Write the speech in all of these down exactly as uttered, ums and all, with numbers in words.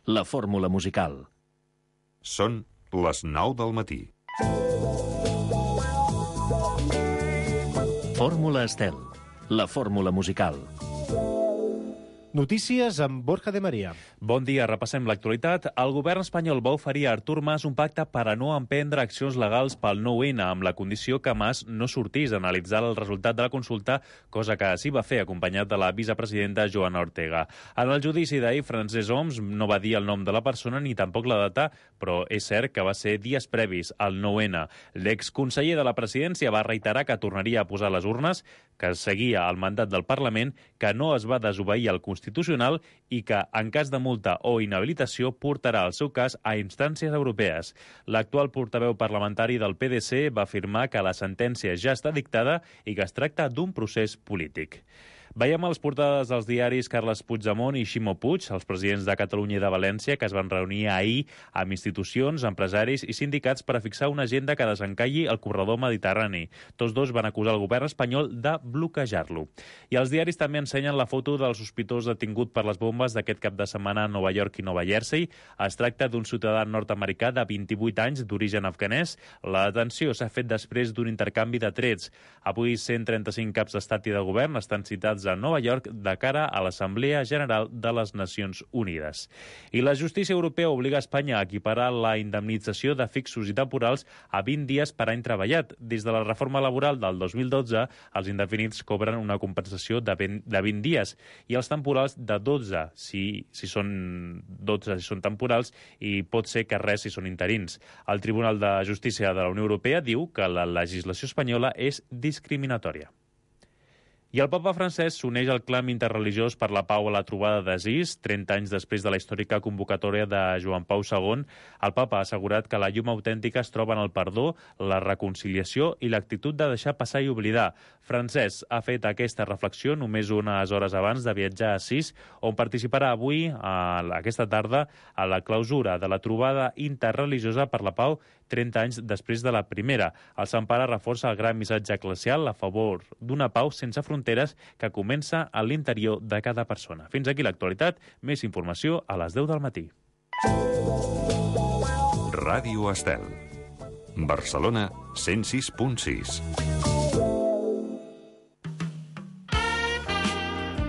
la fórmula musical. Són les nou del matí. Fórmula Estel, la fórmula musical. Notícies amb Borja de Maria. Bon dia, repassem l'actualitat. El govern espanyol va oferir a Artur Mas un pacte per a no emprendre accions legals pel nou ene, amb la condició que Mas no sortís a analitzar el resultat de la consulta, cosa que sí va fer, acompanyat de la vicepresidenta Joana Ortega. En el judici d'ahir, Francesc Homs no va dir el nom de la persona ni tampoc la data, però és cert que va ser dies previs al nou ene. L'exconseller de la presidència va reiterar que tornaria a posar les urnes, que seguia el mandat del Parlament, que no es va desobeir el Constitucional i que, en cas de multa o inhabilitació, portarà el seu cas a instàncies europees. L'actual portaveu parlamentari del pe de ce va afirmar que la sentència ja està dictada i que es tracta d'un procés polític. Veiem a les portades dels diaris Carles Puigdemont i Ximo Puig, els presidents de Catalunya i de València, que es van reunir ahir amb institucions, empresaris i sindicats per a fixar una agenda que desencalli el corredor mediterrani. Tots dos van acusar el govern espanyol de bloquejar-lo. I els diaris també ensenyen la foto del sospitós detingut per les bombes d'aquest cap de setmana a Nova York i Nova Jersey. Es tracta d'un ciutadà nord-americà de vint-i-vuit anys, d'origen afganès. La detenció s'ha fet després d'un intercanvi de trets. Avui cent trenta-cinc caps d'estat i de govern estan citats a Nova York de cara a l'Assemblea General de les Nacions Unides. I la justícia europea obliga a Espanya a equiparar la indemnització de fixos i temporals a vint dies per any treballat. Des de la reforma laboral del dos mil dotze, els indefinits cobren una compensació de vint, de vint dies i els temporals de dotze, si, si són dotze si són temporals, i pot ser que res si són interins. El Tribunal de Justícia de la Unió Europea diu que la legislació espanyola és discriminatòria. I el papa francès s'uneix al clam interreligiós per la pau a la trobada d'Assís. trenta anys després de la històrica convocatòria de Joan Pau segon, el papa ha assegurat que la llum autèntica es troba en el perdó, la reconciliació i l'actitud de deixar passar i oblidar. Francesc ha fet aquesta reflexió només unes hores abans de viatjar a Assís, on participarà avui, a aquesta tarda, a la clausura de la trobada interreligiosa per la pau trenta anys després de la primera. El Sant Pare reforça el gran missatge eclesial a favor d'una pau sense fronteres que comença a l'interior de cada persona. Fins aquí l'actualitat. Més informació a les deu del matí. Ràdio Estel. Barcelona, cent sis punt sis.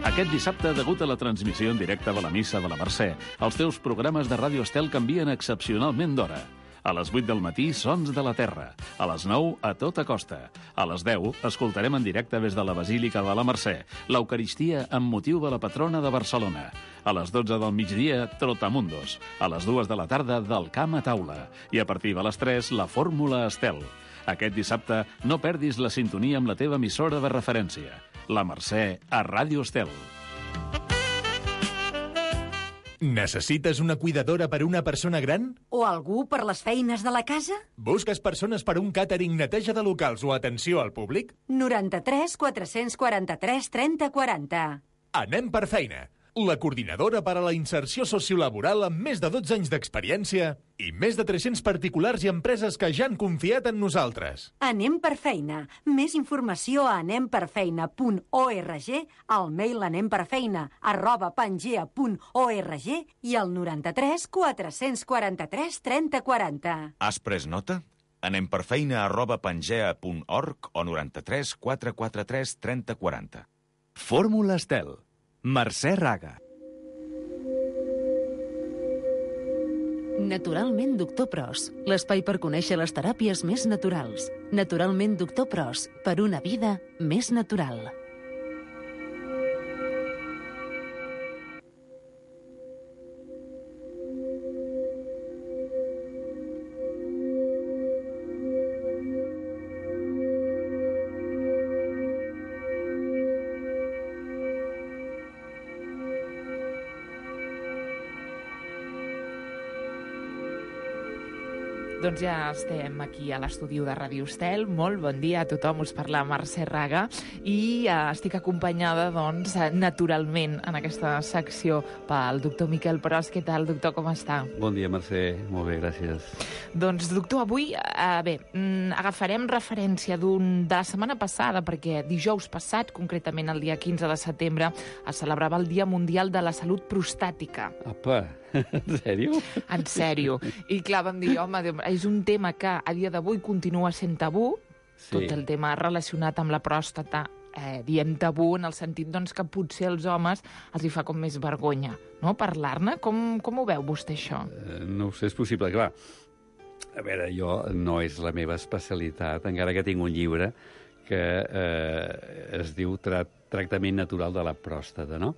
Aquest dissabte, degut a la transmissió en directe de la missa de la Mercè, els teus programes de Ràdio Estel canvien excepcionalment d'hora. A les vuit del matí, Sons de la Terra. A les nou, A tota costa. A les deu, escoltarem en directe des de la Basílica de la Mercè l'Eucaristia amb motiu de la patrona de Barcelona. A les dotze del migdia, Trotamundos. A les dues de la tarda, Del camp a taula. I a partir de les tres, la Fórmula Estel. Aquest dissabte, no perdis la sintonia amb la teva emissora de referència. La Mercè, a Ràdio Estel. Necessites una cuidadora per una persona gran? O algú per les feines de la casa? Busques persones per un càtering, neteja de locals o atenció al públic? noranta-tres quatre-cents quaranta-tres trenta quaranta. Anem per feina. La coordinadora per a la inserció sociolaboral amb més de dotze anys d'experiència i més de tres-cents particulars i empreses que ja han confiat en nosaltres. Anem per feina. Més informació a anem per feina punt org, al mail anemperfeina arroba pangea punt org i al noranta-tres quatre-cents quaranta-tres trenta quaranta. Has pres nota? Anem per feina arroba pangea punt org o noranta-tres quatre quatre tres trenta quaranta. Fórmula Estel. Mercè Raga. Naturalment Doctor Pros, l'espai per conèixer les teràpies més naturals. Naturalment Doctor Pros, per una vida més natural. Doncs ja estem aquí a l'estudi de Ràdio Estel. Molt bon dia a tothom, us parla Mercè Raga i uh, estic acompanyada, doncs, naturalment en aquesta secció pel doctor Miquel Pros. Què tal, doctor, com està? Bon dia, Mercè. Molt bé, gràcies. Doncs, doctor, avui, uh, bé, mm, agafarem referència d'un de la setmana passada, perquè dijous passat, concretament el dia quinze de setembre, es celebrava el Dia Mundial de la Salut Prostàtica. Apa! En sèrio? En sèrio. I clar, vam dir, home, és un tema que a dia d'avui continua sent tabú, sí. Tot el tema relacionat amb la pròstata, eh, diem tabú en el sentit doncs, que potser als homes els hi fa com més vergonya, no?, parlar-ne. Com, com ho veu vostè, això? Uh, no ho sé, és possible, clar. A veure, jo no és la meva especialitat, encara que tinc un llibre que eh, es diu Tra Tractament natural de la pròstata, no?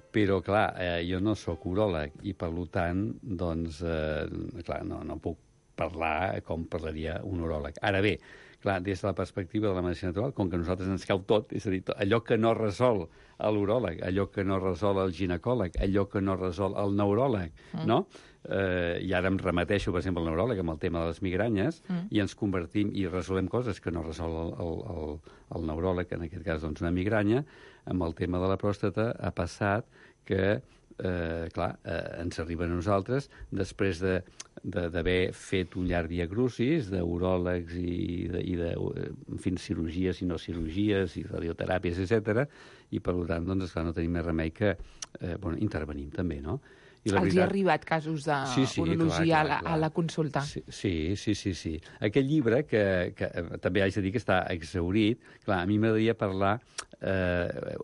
Però, clar, eh, jo no sóc uròleg i, per tant, doncs, eh, clar, no, no puc parlar com parlaria un uròleg. Ara bé, clar, des de la perspectiva de la medicina natural, com que a nosaltres ens cau tot, és a dir, allò que no resol l'uròleg, allò que no resol el ginecòleg, allò que no resol el neuròleg, mm. no? Eh, I ara em remeteixo, per exemple, al neuròleg amb el tema de les migranyes mm. i ens convertim i resolem coses que no resol el, el, el, el neuròleg, en aquest cas, doncs, una migranya. Amb el tema de la pròstata ha passat que, eh, clar, eh, ens arriba a nosaltres després de d'haver fet un llarg viacrucis d'uròlegs i de, i de en fi, cirurgies i no cirurgies i radioteràpies, etcètera. I, per tant, doncs, esclar, no tenim més remei que eh, bueno, intervenim també, no? I la Els veritat... hi ha arribat casos de sí, sí, urologia clar, clar, a, la, a la consulta? Sí, sí, sí, sí, sí. Aquest llibre, que, que també haig de dir que està exhaurit, clar, a mi m'agradaria parlar... Eh,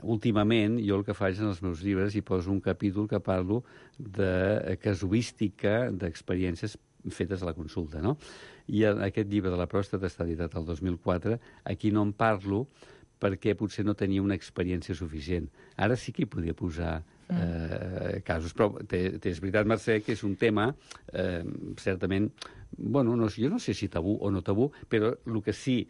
últimament, jo el que faig en els meus llibres hi poso un capítol que parlo de casuística d'experiències fetes a la consulta, no? I aquest llibre de la pròstata està editat el dos mil quatre. Aquí no en parlo perquè potser no tenia una experiència suficient. Ara sí que hi podria posar eh, casos, però és veritat, Mercè, que és un tema eh, certament, bueno, no, jo no sé si tabú o no tabú, però el que sí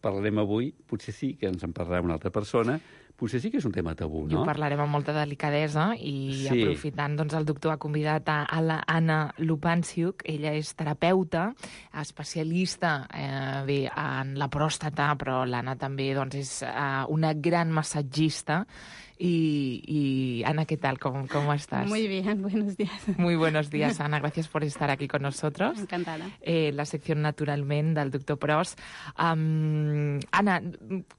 parlarem avui, potser sí que ens en parlarà una altra persona, potser sí que és un tema tabú, no? I ho parlarem amb molta delicadesa i sí. Aprofitant, doncs, el doctor ha convidat a, a la Anna Lupanciuk. Ella és terapeuta, especialista eh, bé, en la pròstata, però l'Anna també doncs, és eh, una gran massatgista. Y, y Ana, ¿qué tal? ¿Cómo, cómo estás? Muy bien, buenos días. Muy buenos días, Ana. Gracias por estar aquí con nosotros. Encantada. Eh, la sección Naturalmente del doctor Pros. Um, Ana,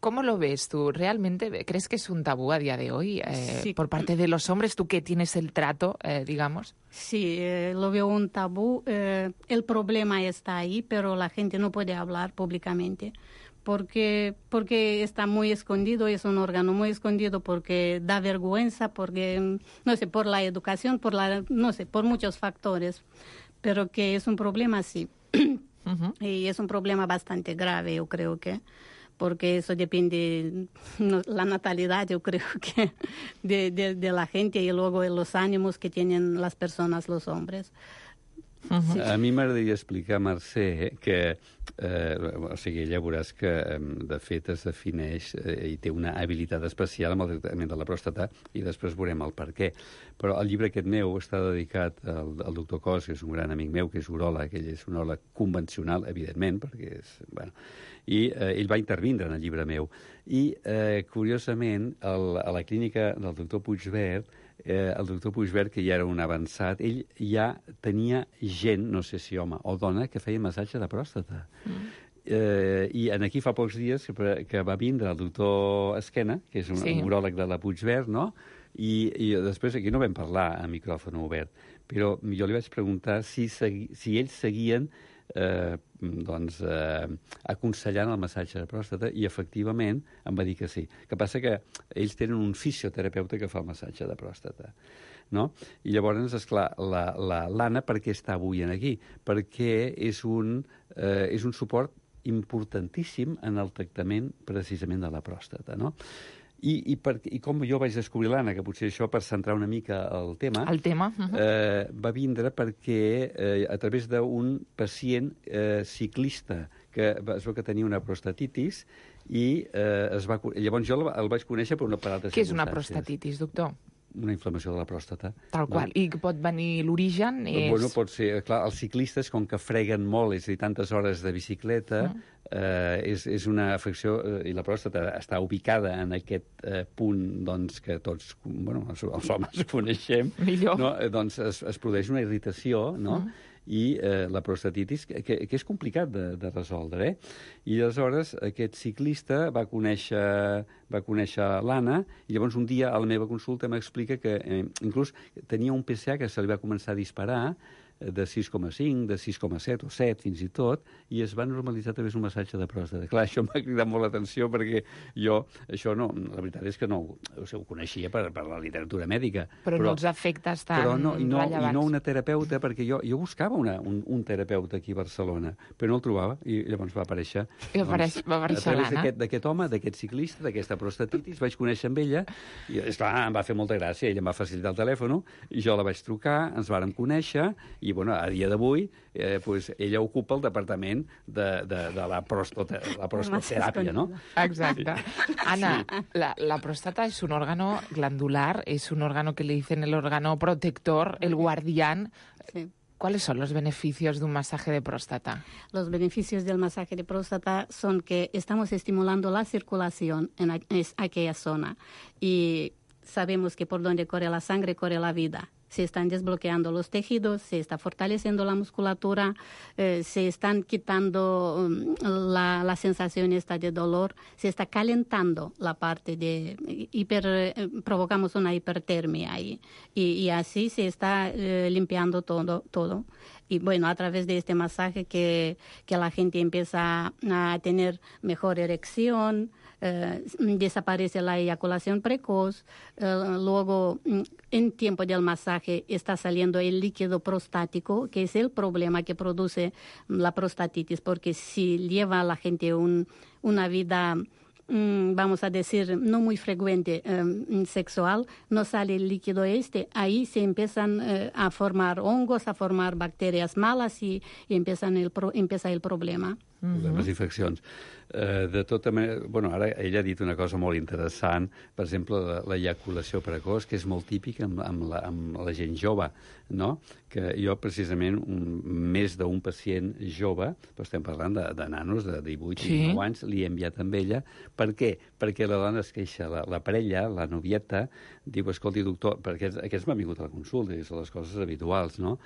¿cómo lo ves tú? ¿Realmente crees que es un tabú a día de hoy eh, sí. por parte de los hombres? ¿Tú que tienes el trato, eh, digamos? Sí, eh, lo veo un tabú. Eh, el problema está ahí, pero la gente no puede hablar públicamente. Porque, porque está muy escondido, es un órgano muy escondido, porque da vergüenza, porque, no sé, por la educación, por la, no sé, por muchos factores, pero que es un problema, sí. Uh-huh. Y es un problema bastante grave, yo creo que, porque eso depende, no, la natalidad, yo creo que, de, de, de la gente y luego de los ánimos que tienen las personas, los hombres. Uh-huh. Sí. A mi m'agradaria explicar, Mercè, que eh, o sigui, ella veuràs que de fet es defineix eh, i té una habilitat especial amb el tractament de la pròstata i després veurem el per què. Però el llibre aquest meu està dedicat al, al doctor Cos, que és un gran amic meu, que és uròleg, ell és un uròleg convencional, evidentment, perquè és... Bueno, i eh, ell va intervindre en el llibre meu. I, eh, curiosament, el, a la clínica del doctor Puigverd, Eh, el doctor Puigverd, que ja era un avançat, ell ja tenia gent, no sé si home o dona, que feia massatge de pròstata. Mm. Eh, I en aquí fa pocs dies que, que va vindre el doctor Esquena, que és un, sí. un uròleg de la Puigverd, no? I, I després aquí no vam parlar a micròfon obert, però jo li vaig preguntar si, segui, si ells seguien eh, doncs, eh, aconsellant el massatge de pròstata i efectivament em va dir que sí. Que passa que ells tenen un fisioterapeuta que fa el massatge de pròstata, no? I llavors, esclar, la, la, l'Anna per què està avui aquí? Perquè és un, eh, és un suport importantíssim en el tractament precisament de la pròstata, no? I, i, per, I com jo vaig descobrir l'Anna, que potser això per centrar una mica el tema, el tema. Uh-huh. eh, va vindre perquè eh, a través d'un pacient eh, ciclista que es veu que tenia una prostatitis i eh, es va, llavors jo el, el vaig conèixer per una parada de circumstàncies. Què és una prostatitis, doctor? Una inflamació de la pròstata. Tal qual. No? I pot venir l'origen? És... Bueno, pot ser... Clar, els ciclistes, com que freguen molt, és a dir, tantes hores de bicicleta, mm. eh, és, és una afecció... Eh, I la pròstata està ubicada en aquest eh, punt, doncs, que tots, bueno, els, els homes coneixem. Millor. No? Eh, doncs es, es produeix una irritació, no? Mm. I eh, la prostatitis, que, que, que és complicat de, de resoldre, eh? I aleshores aquest ciclista va conèixer, va conèixer l'Anna, i llavors un dia a la meva consulta m'explica que eh, inclús tenia un P S A que se li va començar a disparar de sis coma cinc, de sis coma set o set fins i tot, i es va normalitzar a través d'un massatge de pròstata. Clar, això m'ha cridat molt l'atenció perquè jo, això no, la veritat és que no o sigui, ho coneixia per, per la literatura mèdica. Però, però no els efectes tan però no, i no, rellevants. I no una terapeuta, perquè jo, jo buscava una, un, un terapeuta aquí a Barcelona, però no el trobava, i llavors va aparèixer... I apareix, doncs, va aparèixer a través l'Anna. d'aquest home, d'aquest ciclista, d'aquesta prostatitis, vaig conèixer amb ella, i esclar, em va fer molta gràcia, ella em va facilitar el telèfon, i jo la vaig trucar, ens vàrem conèixer, i bueno, a dia d'avui Eh, pues ella ocupa el departament de, de, de la, prostote, la prostoteràpia, ¿no? Exacte. Ana, sí. la, la próstata es un órgano glandular, es un órgano que le dicen el órgano protector, el guardián. Sí. ¿Cuáles son los beneficios de un masaje de próstata? Los beneficios del masaje de próstata son que estamos estimulando la circulación en aquella zona y sabemos que por donde corre la sangre corre la vida. Se están desbloqueando los tejidos, se está fortaleciendo la musculatura, eh, se están quitando um, la, la sensación esta de dolor, se está calentando la parte de hiper, eh, provocamos una hipertermia ahí, y, y así se está eh, limpiando todo, todo. Y bueno, a través de este masaje que, que la gente empieza a tener mejor erección, eh, desaparece la eyaculación precoz, eh, luego en tiempo del masaje está saliendo el líquido prostático, que es el problema que produce la prostatitis, porque si lleva a la gente un, una vida, vamos a decir, no muy frecuente eh, sexual, no sale el líquido este, ahí se empiezan eh, a formar hongos, a formar bacterias malas y, y empiezan el pro, empieza el problema. Problemes d'infeccions. Uh, de tota manera, bueno, ara ella ha dit una cosa molt interessant, per exemple, l'eyaculació precoç, que és molt típica amb, amb, la, amb la gent jove, no? Que jo, precisament, un, més d'un pacient jove, però estem parlant de, de nanos de divuit i sí. dinou anys, li he enviat amb ella. Per què? Perquè la dona es queixa, la, la parella, la novieta, diu, escolti, doctor, perquè aquests m'han vingut a la consulta, i són les coses habituals, no?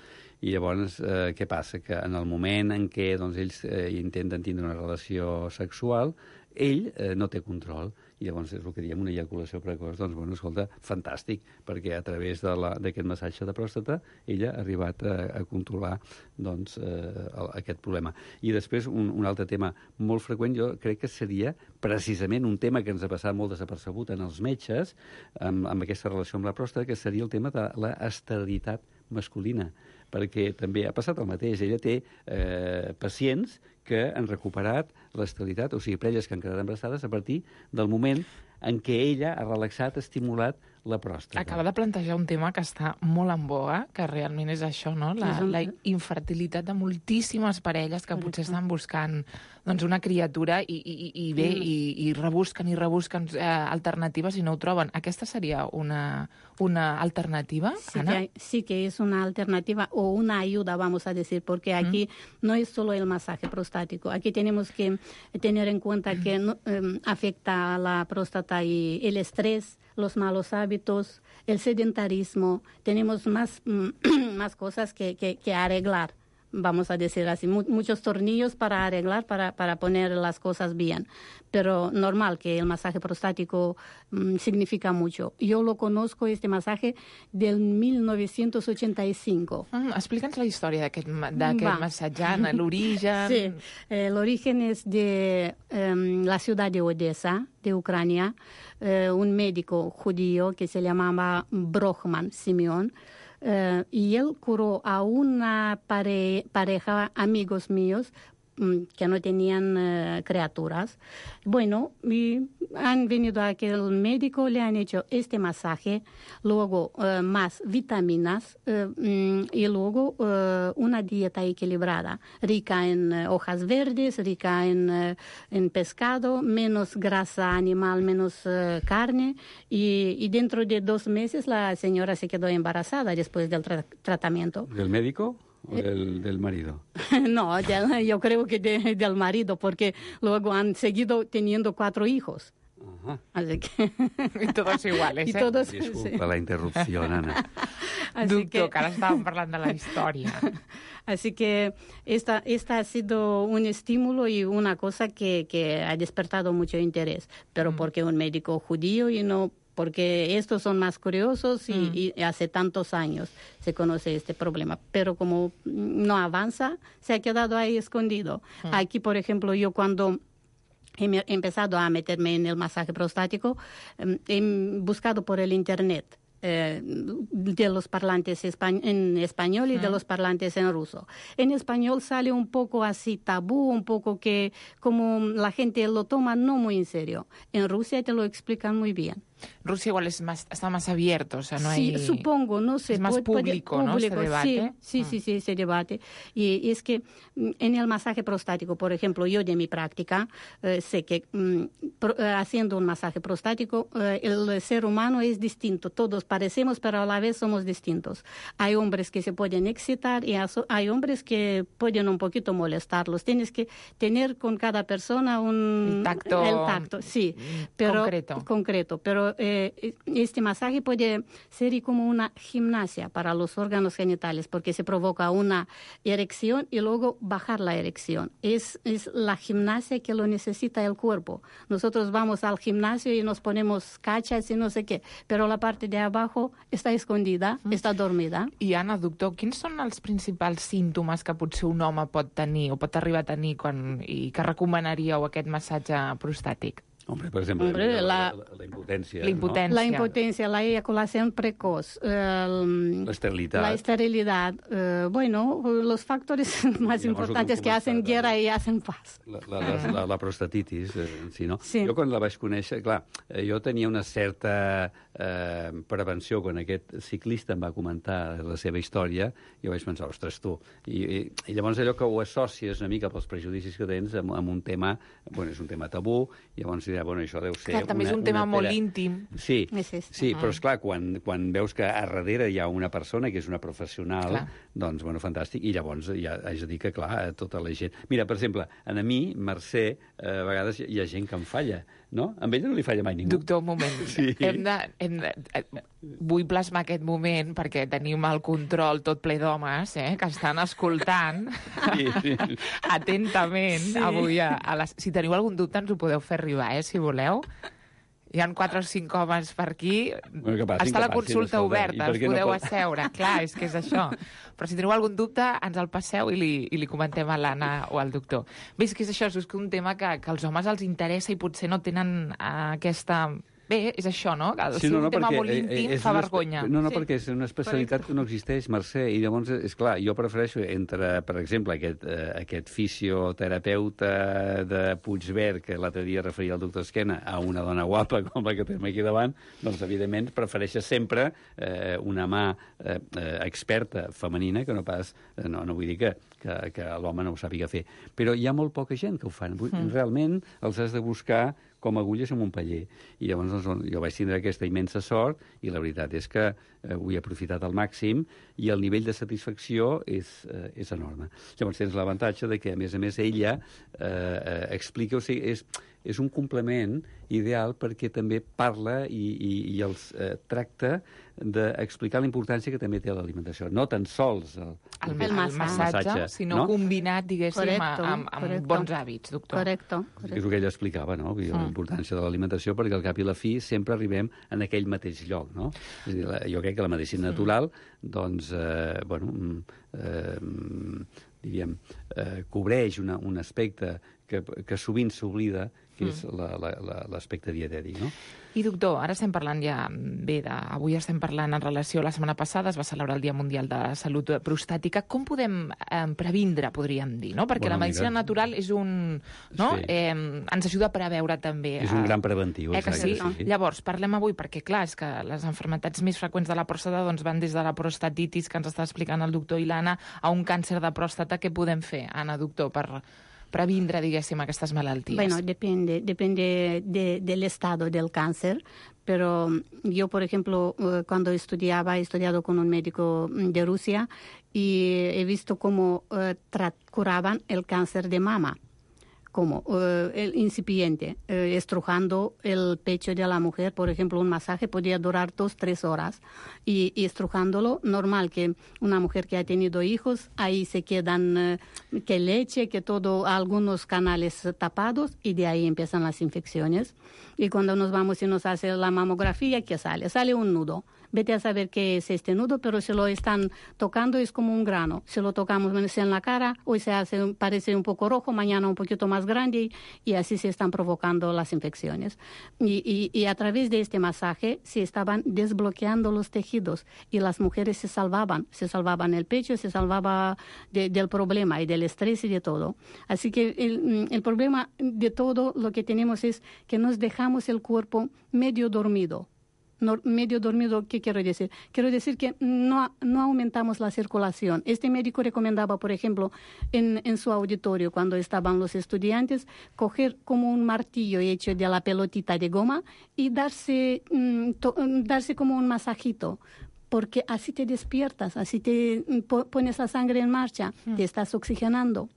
I llavors, eh, què passa? Que en el moment en què doncs, ells eh, intenten tindre una relació sexual, ell eh, no té control. I llavors és el que diem una eyaculació precoç. Doncs, bueno, escolta, fantàstic, perquè a través d'aquest massatge de pròstata ella ha arribat a, a controlar doncs, eh, aquest problema. I després, un, un altre tema molt freqüent, jo crec que seria precisament un tema que ens ha passat molt desapercebut en els metges, amb, amb aquesta relació amb la pròstata, que seria el tema de l'esterilitat masculina, perquè també ha passat el mateix. Ella té eh, pacients que han recuperat l'esterilitat, o sigui, parelles que han quedat embarassades a partir del moment en què ella ha relaxat, estimulat la pròstata. Acaba de plantejar un tema que està molt en boga, que realment és això, no? La, la infertilitat de moltíssimes parelles que potser estan buscant doncs, una criatura i, i, i bé, i, i rebusquen i rebusquen eh, alternatives i no ho troben. Aquesta seria una, una alternativa, sí Ana? Que, sí que es una alternativa o una ayuda, vamos a decir, porque aquí mm. no es solo el masaje prostático. Aquí tenemos que tener en cuenta mm. que no, eh, afecta a la próstata y el estrés, los malos hábitos, el sedentarismo. Tenemos más, más cosas que, que, que arreglar, vamos a decir así, muchos tornillos para arreglar, para, para poner las cosas bien. Pero normal que el masaje prostático um, significa mucho. Yo lo conozco, este masaje, del mil novecientos ochenta y cinco. Mm, Explica'ns la història d'aquest massatge, l'origen... Sí, eh, el origen es de eh, la ciudad de Odessa, de Ucrania, eh, un médico judío que se llamaba Brochman Simeón, eh, y él curó a una pare pareja, amigos míos, que no tenían uh, criaturas. Bueno, y han venido a aquel médico, le han hecho este masaje, luego uh, más vitaminas uh, y luego uh, una dieta equilibrada, rica en uh, hojas verdes, rica en, uh, en pescado, menos grasa animal, menos uh, carne, y, y dentro de dos meses la señora se quedó embarazada después del tra tratamiento. ¿Del médico? ¿O del, del marido? No, de, yo creo que de, del marido, porque luego han seguido teniendo cuatro hijos. Ajá. Ah. Así que... Y todos iguales, y ¿eh? todos, Disculpa sí. la interrupció, Nana. Así Doctor, que... que ara estàvem parlant de la història. Así que esta, esta ha sido un estímulo y una cosa que, que ha despertado mucho interés, pero mm. porque un médico judío y no porque estos son más curiosos y, mm. y hace tantos años se conoce este problema. Pero como no avanza, se ha quedado ahí escondido. Mm. Aquí, por ejemplo, yo cuando he empezado a meterme en el masaje prostático, he buscado por el Internet Eh, de los parlantes espa- en español y de los parlantes en ruso. En español sale un poco así tabú, un poco que como la gente lo toma no muy en serio. En Rusia te lo explican muy bien. Rusia igual es más, está más abierto, o sea, no sí, hay... supongo, no sé. Es más puede, público, puede, ¿no? Público, Ese debate. Sí, sí, mm. sí, sí, ese debate. Y, y es que en el masaje prostático, por ejemplo, yo de mi práctica eh, sé que mm, pro, eh, haciendo un masaje prostático eh, el ser humano es distinto. Todos parecemos, pero a la vez somos distintos. Hay hombres que se pueden excitar y hay hombres que pueden un poquito molestarlos. Tienes que tener con cada persona un... El tacto. El tacto, sí. Pero, concreto. Concreto, pero eh, este masaje puede ser como una gimnasia para los órganos genitales porque se provoca una erección y luego bajar la erección. Es, es la gimnasia que lo necesita el cuerpo. Nosotros vamos al gimnasio y nos ponemos cachas y no sé qué, pero la parte de abajo està escondida, mm. està dormida. I, Anna, doctor, quins són els principals símptomes que potser un home pot tenir o pot arribar a tenir quan, i que recomanaríeu aquest massatge prostàtic? Hombre, por ejemplo, Hombre, la, la, la, la impotencia. La impotencia. ¿no? La impotencia, la eyaculación precoz. Eh, la esterilidad. La esterilidad. Eh, bueno, los factores más Llavors, importantes que hacen guerra i hacen paz. La, la, la, la, la prostatitis, eh, en si, no? Sí. Jo, quan la vaig conèixer, clar, eh, jo tenia una certa eh, prevenció quan aquest ciclista em va comentar la seva història, i jo vaig pensar, ostres, tu. I, i, i llavors allò que ho associes una mica pels prejudicis que tens amb, amb un tema, bueno, és un tema tabú, i llavors ja, bueno, això deu ser... Clar, també una, és un tema molt pera... íntim. Sí, sí, uh-huh. però esclar, quan, quan veus que a darrere hi ha una persona que és una professional, clar. doncs, bueno, fantàstic, i llavors ja haig de dir que, clar, tota la gent... Mira, per exemple, a mi, Mercè, eh, a vegades hi ha gent que em falla, no? A ell no li falla mai ningú. Doctor, un moment. Sí. Hem de, hem de, vull plasmar aquest moment perquè tenim el control tot ple d'homes, eh, que estan escoltant sí, sí. atentament sí. avui. A, a les... Si teniu algun dubte ens ho podeu fer arribar, eh, si voleu. Hi ha quatre o cinc homes per aquí. Bueno, passin, està la passin, consulta escolta, oberta, us podeu no pot... asseure. Clar, és que és això. Però si teniu algun dubte, ens el passeu i li, i li comentem a l'Anna o al doctor. Bé, és que és això, és que un tema que, que als homes els interessa i potser no tenen uh, aquesta... Bé, és això, no? Que sí, si no, un no, tema perquè, molt íntim eh, fa una, vergonya. No, no, sí. perquè és una especialitat Correcte. Que no existeix, Mercè, i llavors, és clar, jo prefereixo entre, per exemple, aquest, eh, aquest fisioterapeuta de Puigverd, que l'altre dia referia al doctor Esquena, a una dona guapa com la que tenim aquí davant, doncs, evidentment, prefereixes sempre eh, una mà eh, experta femenina que no pas... Eh, no, no vull dir que, que, que l'home no ho sàpiga fer. Però hi ha molt poca gent que ho fan. Mm. Realment els has de buscar com agulles en un paller. I llavors doncs, jo vaig tindre aquesta immensa sort i la veritat és que eh, ho he aprofitat al màxim i el nivell de satisfacció és, eh, és enorme. Llavors tens l'avantatge de que, a més a més, ella eh, eh, explica, o sigui, és, és un complement ideal perquè també parla i, i, i els eh, tracta d'explicar la importància que també té l'alimentació. No tan sols el, el, el, el massatge, massatge, sinó no? combinat, diguéssim, correcto, amb, amb correcto. bons hàbits, doctor. Correcte. És el que ella explicava, no? Mm. La importància de l'alimentació, perquè al cap i la fi sempre arribem en aquell mateix lloc, no? És a dir, la, jo crec que la medicina natural, mm. doncs, eh, bueno, eh, diríem, eh, cobreix una, un aspecte que, que sovint s'oblida, que és l'aspecte dietètic, no? I, doctor, ara estem parlant ja bé de... Avui estem parlant en relació a la setmana passada, es va celebrar el Dia Mundial de Salut Prostàtica. Com podem eh, previndre, podríem dir, no? Perquè bueno, la medicina mira, natural és un... No? Sí. Eh, ens ajuda a preveure també... És un gran preventiu. Eh, que sí? sí? Llavors, parlem avui, perquè clar, és que les malalties més freqüents de la pròstata doncs, van des de la prostatitis, que ens està explicant el doctor i l'Anna, a un càncer de pròstata. Què podem fer, Anna, doctor, per previndre, diguéssim, aquestes malalties? Bueno, depende, depende de, del estado del cáncer, pero yo, por ejemplo, cuando estudiaba, he estudiado con un médico de Rusia y he visto cómo uh, curaban el cáncer de mama ¿Cómo? Uh, el incipiente, uh, estrujando el pecho de la mujer, por ejemplo, un masaje podría durar dos, tres horas. Y, y estrujándolo, normal que una mujer que ha tenido hijos, ahí se quedan uh, que leche, que todo, algunos canales tapados, y de ahí empiezan las infecciones. Y cuando nos vamos y nos hace la mamografía, ¿qué sale? Sale un nudo. Vete a saber qué es este nudo, pero si lo están tocando es como un grano. Si lo tocamos en la cara, hoy se hace, parece un poco rojo, mañana un poquito más grande y, y así se están provocando las infecciones. Y, y, y a través de este masaje se estaban desbloqueando los tejidos y las mujeres se salvaban, se salvaban el pecho, se salvaba de, del problema y del estrés y de todo. Así que el, el problema de todo lo que tenemos es que nos dejamos el cuerpo medio dormido. No, medio dormido, ¿qué quiero decir? Quiero decir que no, no aumentamos la circulación. Este médico recomendaba, por ejemplo, en, en su auditorio, cuando estaban los estudiantes, coger como un martillo hecho de la pelotita de goma y darse, mm, to, darse como un masajito. Porque así te despiertas, así te po- pones la sangre en marcha, mm. te estás oxigenando.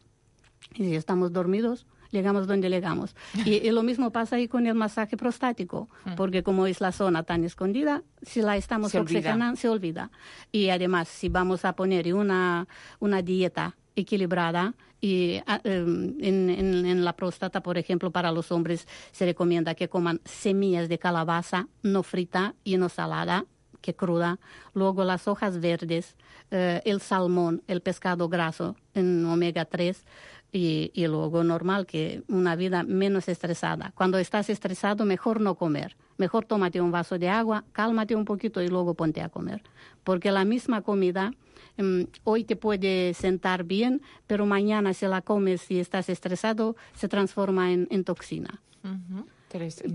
Y si estamos dormidos, llegamos donde llegamos. Y, y lo mismo pasa ahí con el masaje prostático, porque como es la zona tan escondida, si la estamos se oxigenando, olvida. se olvida. Y además, si vamos a poner una, una dieta equilibrada, y en, en, en la próstata, por ejemplo, para los hombres se recomienda que coman semillas de calabaza, no frita y no salada, que cruda. Luego las hojas verdes, eh, el salmón, el pescado graso en omega tres, Y, y luego normal que una vida menos estresada. Cuando estás estresado, mejor no comer. Mejor tómate un vaso de agua, cálmate un poquito y luego ponte a comer. Porque la misma comida um, hoy te puede sentar bien, pero mañana si la comes y estás estresado, se transforma en, en toxina. Uh-huh.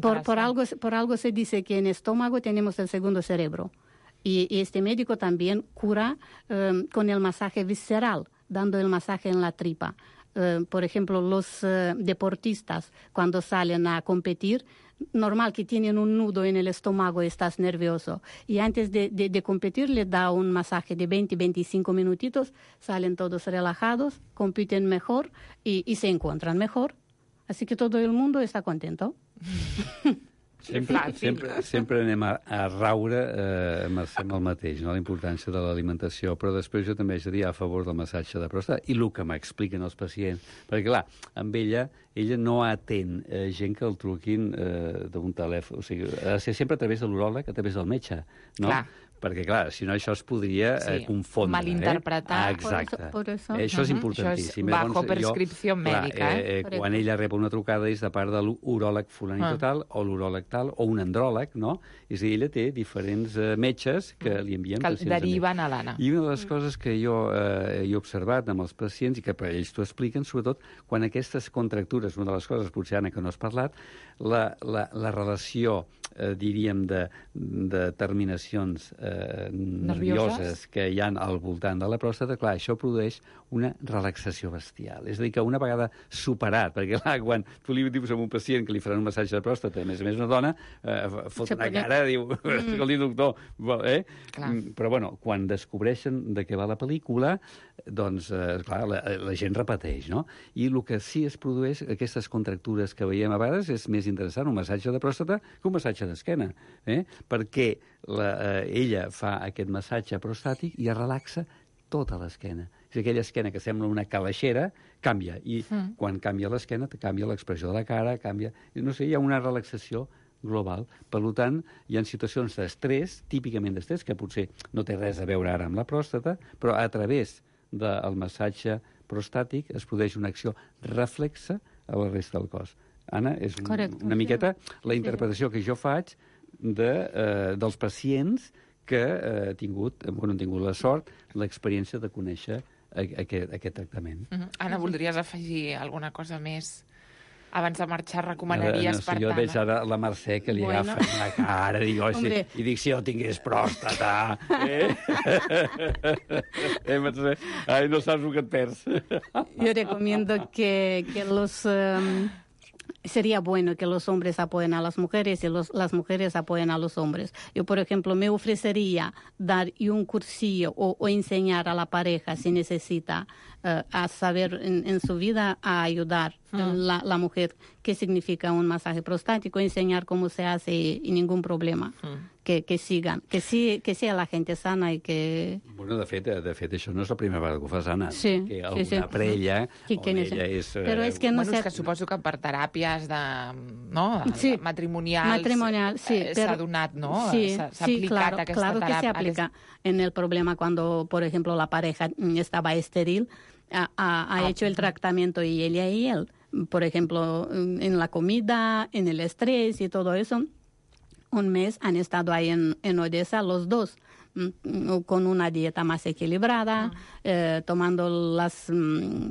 Por, por, algo, por algo se dice que en el estómago tenemos el segundo cerebro. Y, y este médico también cura um, con el masaje visceral, dando el masaje en la tripa. Uh, por ejemplo, los uh, deportistas cuando salen a competir, normal que tienen un nudo en el estómago y estás nervioso. Y antes de, de, de competir le da un masaje de veinte a veinticinco minutitos, salen todos relajados, compiten mejor y, y se encuentran mejor. Así que todo el mundo está contento. Sempre, sempre, sempre anem a, a raure, eh, Mercè, amb el mateix, no? La importància de l'alimentació, però després jo també haig de dir a favor del massatge de pròstata i el que m'expliquen els pacients, perquè clar, amb ella, ella no atén eh, gent que el truquin eh, d'un telèfon, o sigui, ha de ser sempre a través de l'uròleg, a través del metge, no? Clar. Perquè, clar, si no, això es podria sí, eh, confondre. Malinterpretar. Eh? Ah, exacte. Por eso, por eso. Eh, això és importantíssim. Això és bajo prescripció mèdica. Clar, eh, eh, quan ella rep una trucada és de part de l'uròleg fulanito ah. tal, o l'uròleg tal, o un andròleg, no? És a dir, ella té diferents eh, metges que li envien que pacients. Que deriven a l'Anna. I una de les coses que jo eh, he observat amb els pacients, i que per ells t'ho expliquen, sobretot, quan aquestes contractures, una de les coses, potser, Anna, que no has parlat, la, la, la relació, eh, diríem, de, de terminacions eh, nervioses que hi ha al voltant de la pròstata, clar, això produeix una relaxació bestial. És a dir, que una vegada superat, perquè clar, quan tu li dius a un pacient que li faran un massatge de pròstata, a més a més una dona, eh, fot una cara, diu, escolti, doctor, eh? Però, bueno, quan descobreixen de què va la pel·lícula, doncs, eh, clar, la, la gent repeteix, no? I el que sí es produeix, aquestes contractures que veiem a vegades, és més interessant un massatge de pròstata que un massatge d'esquena, eh? Perquè la, eh, ella fa aquest massatge prostàtic i es relaxa tota l'esquena. És aquella esquena que sembla una calaixera, canvia. I mm. quan canvia l'esquena, canvia l'expressió de la cara, canvia... No sé, hi ha una relaxació global. Per tant, hi ha situacions d'estrès, típicament d'estrès, que potser no té res a veure ara amb la pròstata, però a través del massatge prostàtic es produeix una acció reflexa a la resta del cos. Anna, és un, Correcte, una miqueta la sí. interpretació que jo faig de, eh, dels pacients que eh, he tingut, bueno, han tingut la sort, l'experiència de conèixer aquest, aquest tractament. Uh-huh. Anna, voldries afegir alguna cosa més? Abans de marxar, recomanaries, no sé, per jo tant... veig ara la Mercè que li bueno. agafa la cara, dic, oh, si, i dic, si jo tingués pròstata... Eh? eh, Mercè? Ai, no saps el que et perds. Yo recomiendo que, que los... Um... Sería bueno que los hombres apoyen a las mujeres y los, las mujeres apoyen a los hombres. Yo, por ejemplo, me ofrecería dar un cursillo o, o enseñar a la pareja si necesita uh, a saber en, en su vida a ayudar la, la mujer qué significa un masaje prostático, enseñar cómo se hace y, y ningún problema. Mm. Que, que sigan, que, sí, que sea la gente sana i que... Bueno, de fet, de fet, això no és la primera vegada que ho fas, Anna. Sí, que alguna sí, sí. parella sí, on ella és... Però és que no bueno, sé... és que suposo que per teràpies de, no, de, sí. matrimonials Matrimonial, sí, eh, pero... s'ha donat, ¿no? Sí, s'ha sí, aplicat claro, aquesta claro que teràpia. se aplica en el problema cuando, por ejemplo, la pareja estaba estéril, ha, ha, ha ah. hecho el tratamiento y ella y él, por ejemplo, en la comida, en el estrés y todo eso. Un mes han estado ahí en, en Odessa los dos, con una dieta más equilibrada, uh-huh. eh, tomando las,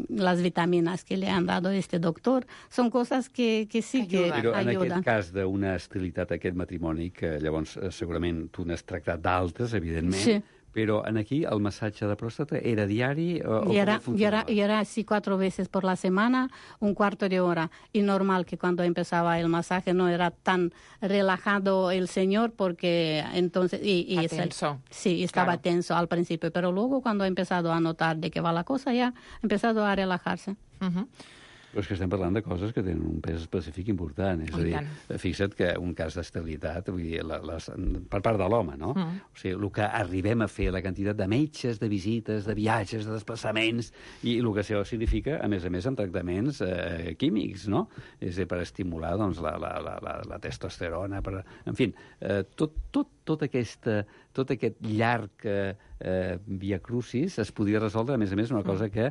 las vitaminas que le han dado este doctor. Son cosas que, que sí que, que Però en ayudan. aquest cas d'una esterilitat, aquest matrimoni, que llavors segurament tu n'has tractat d'altres, evidentment, sí. Pero en aquí el masaje de próstata era diario o y era, y era, y era así cuatro veces por la semana, un cuarto de hora. Y normal que cuando empezaba el masaje no era tan relajado el señor porque entonces... Y, y tenso. Sí, estaba claro. tenso al principio, pero luego cuando ha empezado a notar de qué va la cosa ya ha empezado a relajarse. Uh-huh. Però és que estem parlant de coses que tenen un pes específic important. És a dir, fixa't que un cas d'esterilitat, vull dir, la, les, per part de l'home, no? Mm. O sigui, el que arribem a fer, la quantitat de metges, de visites, de viatges, de desplaçaments, i el que això significa, a més a més, en tractaments eh, químics, no? És a dir, per estimular doncs, la, la, la, la, la testosterona, per... En fi, eh, tot, tot, tot, aquesta, tot aquest llarg eh, via crucis es podia resoldre, a més a més, una cosa que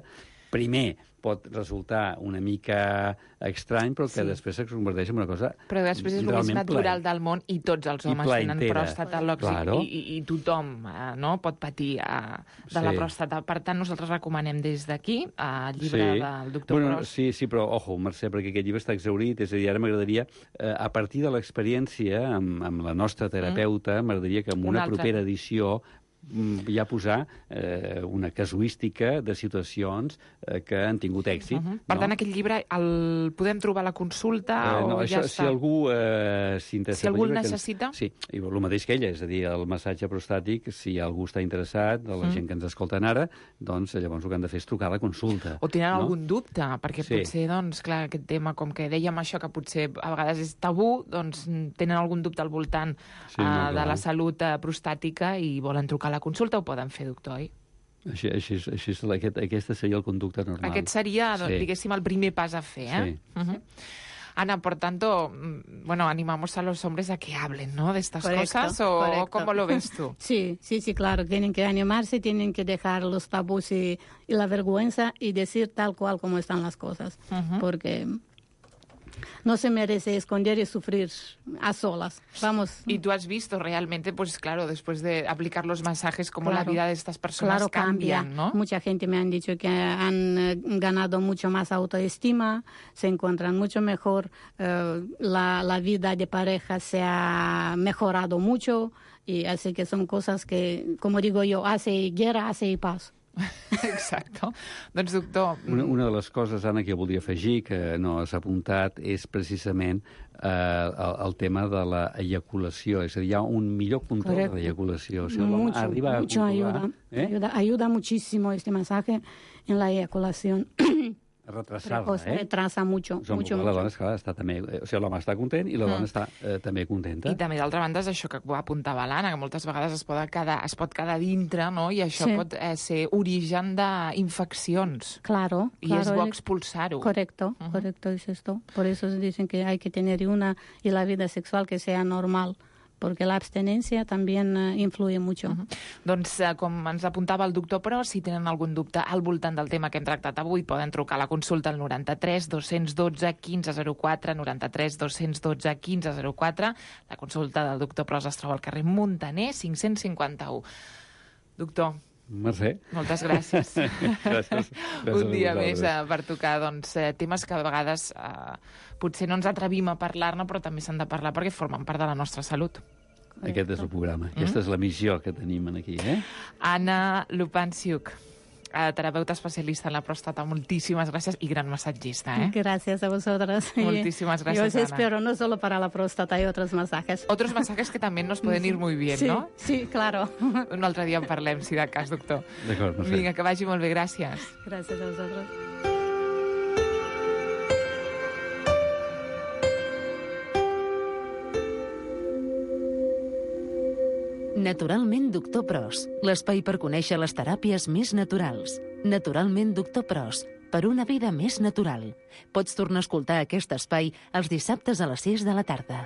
primer pot resultar una mica estrany, però que sí. després es converteix en una cosa però després és el més natural ple. Del món i tots els homes tenen pròstata claro. i, i, i tothom eh, no, pot patir eh, de sí. la pròstata. Per tant, nosaltres recomanem des d'aquí el llibre sí. del doctor bueno, Pros. Sí, sí, però, ojo, Mercè, perquè aquest llibre està exhaurit, és a dir, ara m'agradaria, eh, a partir de l'experiència amb, amb la nostra terapeuta, mm. m'agradaria que en una, una propera edició ja posar eh, una casuística de situacions eh, que han tingut èxit. Uh-huh. Per no? tant, aquest llibre el podem trobar a la consulta eh, no, o això, ja està? Si algú eh, s'interessa... Si algú el llibre, necessita? Que, sí, i el mateix que ella, és a dir, el massatge prostàtic, si algú està interessat, de la mm. gent que ens escolten ara, doncs llavors el que han de fer és trucar a la consulta. O tenen no? algun dubte, perquè sí. potser, doncs, clar, aquest tema, com que dèiem això, que potser a vegades és tabú, doncs tenen algun dubte al voltant sí, no, uh, de la salut uh, prostàtica i volen trucar a la consulta, ho poden fer, doctor, oi? Així, així, així, aquest, aquesta seria el conducte normal. Aquest seria, sí. diguéssim, el primer pas a fer, eh? Sí. Uh-huh. Ana, por tanto, bueno, animamos a los hombres a que hablen, ¿no?, de estas correcto, cosas, ¿o correcto. ¿Cómo lo ves tú? Sí, sí, sí, claro, tienen que animarse, tienen que dejar los tabús y, y la vergüenza y decir tal cual como están las cosas, uh-huh. porque... no se merece esconder y sufrir a solas. Vamos. Y tú has visto realmente, pues claro, después de aplicar los masajes, cómo claro, la vida de estas personas claro, cambian, cambia. ¿no? Mucha gente me han dicho que han eh, ganado mucho más autoestima, se encuentran mucho mejor, eh, la, la vida de pareja se ha mejorado mucho, y así que son cosas que, como digo yo, hace guerra, hace paz. Exacte. Doncs, doctor... Una, una de les coses, Anna, que jo volia afegir, que no has apuntat, és precisament eh, el, el tema de la eyaculació. És a dir, hi ha un millor control Correcto. De l'eyaculació. O sigui, mucho, arriba mucho a ayuda, eh? ayuda. Ayuda muchísimo este masaje en la eyaculación. Retrasar-la, eh? Retrasa mucho, Som, mucho, la mucho. dona, esclar, està també... O sigui, l'home està content i la dona mm. està eh, també contenta. I també, d'altra banda, és això que apuntava l'Anna, que moltes vegades es pot quedar, es pot quedar dintre, no?, i això sí. pot eh, ser origen d'infeccions. Claro, I claro. és bo expulsar-ho. Correcto, uh-huh. correcto es esto. Por eso dicen que hay que tener una y la vida sexual que sea normal, porque la abstenencia también uh, influye mucho. Uh-huh. Doncs, uh, com ens apuntava el doctor Pros, si tenen algun dubte al voltant del tema que hem tractat avui, poden trucar a la consulta al noranta-tres dos-cents dotze quinze zero quatre, noranta-tres dos-cents dotze quinze zero quatre. La consulta del doctor Pros es troba al carrer Muntaner, cinc-cents cinquanta-u. Doctor, Mercè. moltes gràcies. gràcies. gràcies. Un dia més eh, per tocar doncs, eh, temes que a vegades eh, potser no ens atrevim a parlar-ne, però també s'han de parlar perquè formen part de la nostra salut. Aquest és el programa. Mm? Aquesta és la missió que tenim aquí, eh? Anna Lupanciuk, terapeuta especialista en la próstata, moltíssimes gràcies i gran massatgista, ¿eh? Gracias a vosotras. Muchísimas gracias, Yo os Ana. espero no solo para la próstata, hay otros masajes. Otros masajes que también nos pueden ir muy bien, sí, ¿no? Sí, claro. Un altre dia en parlem, si de cas, doctor. D'acord, no sé. Vinga, que vagi molt bé, gràcies. Gràcies a vosaltres. Naturalment Doctor Pros, l'espai per conèixer les teràpies més naturals. Naturalment Doctor Pros, per una vida més natural. Pots tornar a escoltar aquest espai els dissabtes a les sis de la tarda.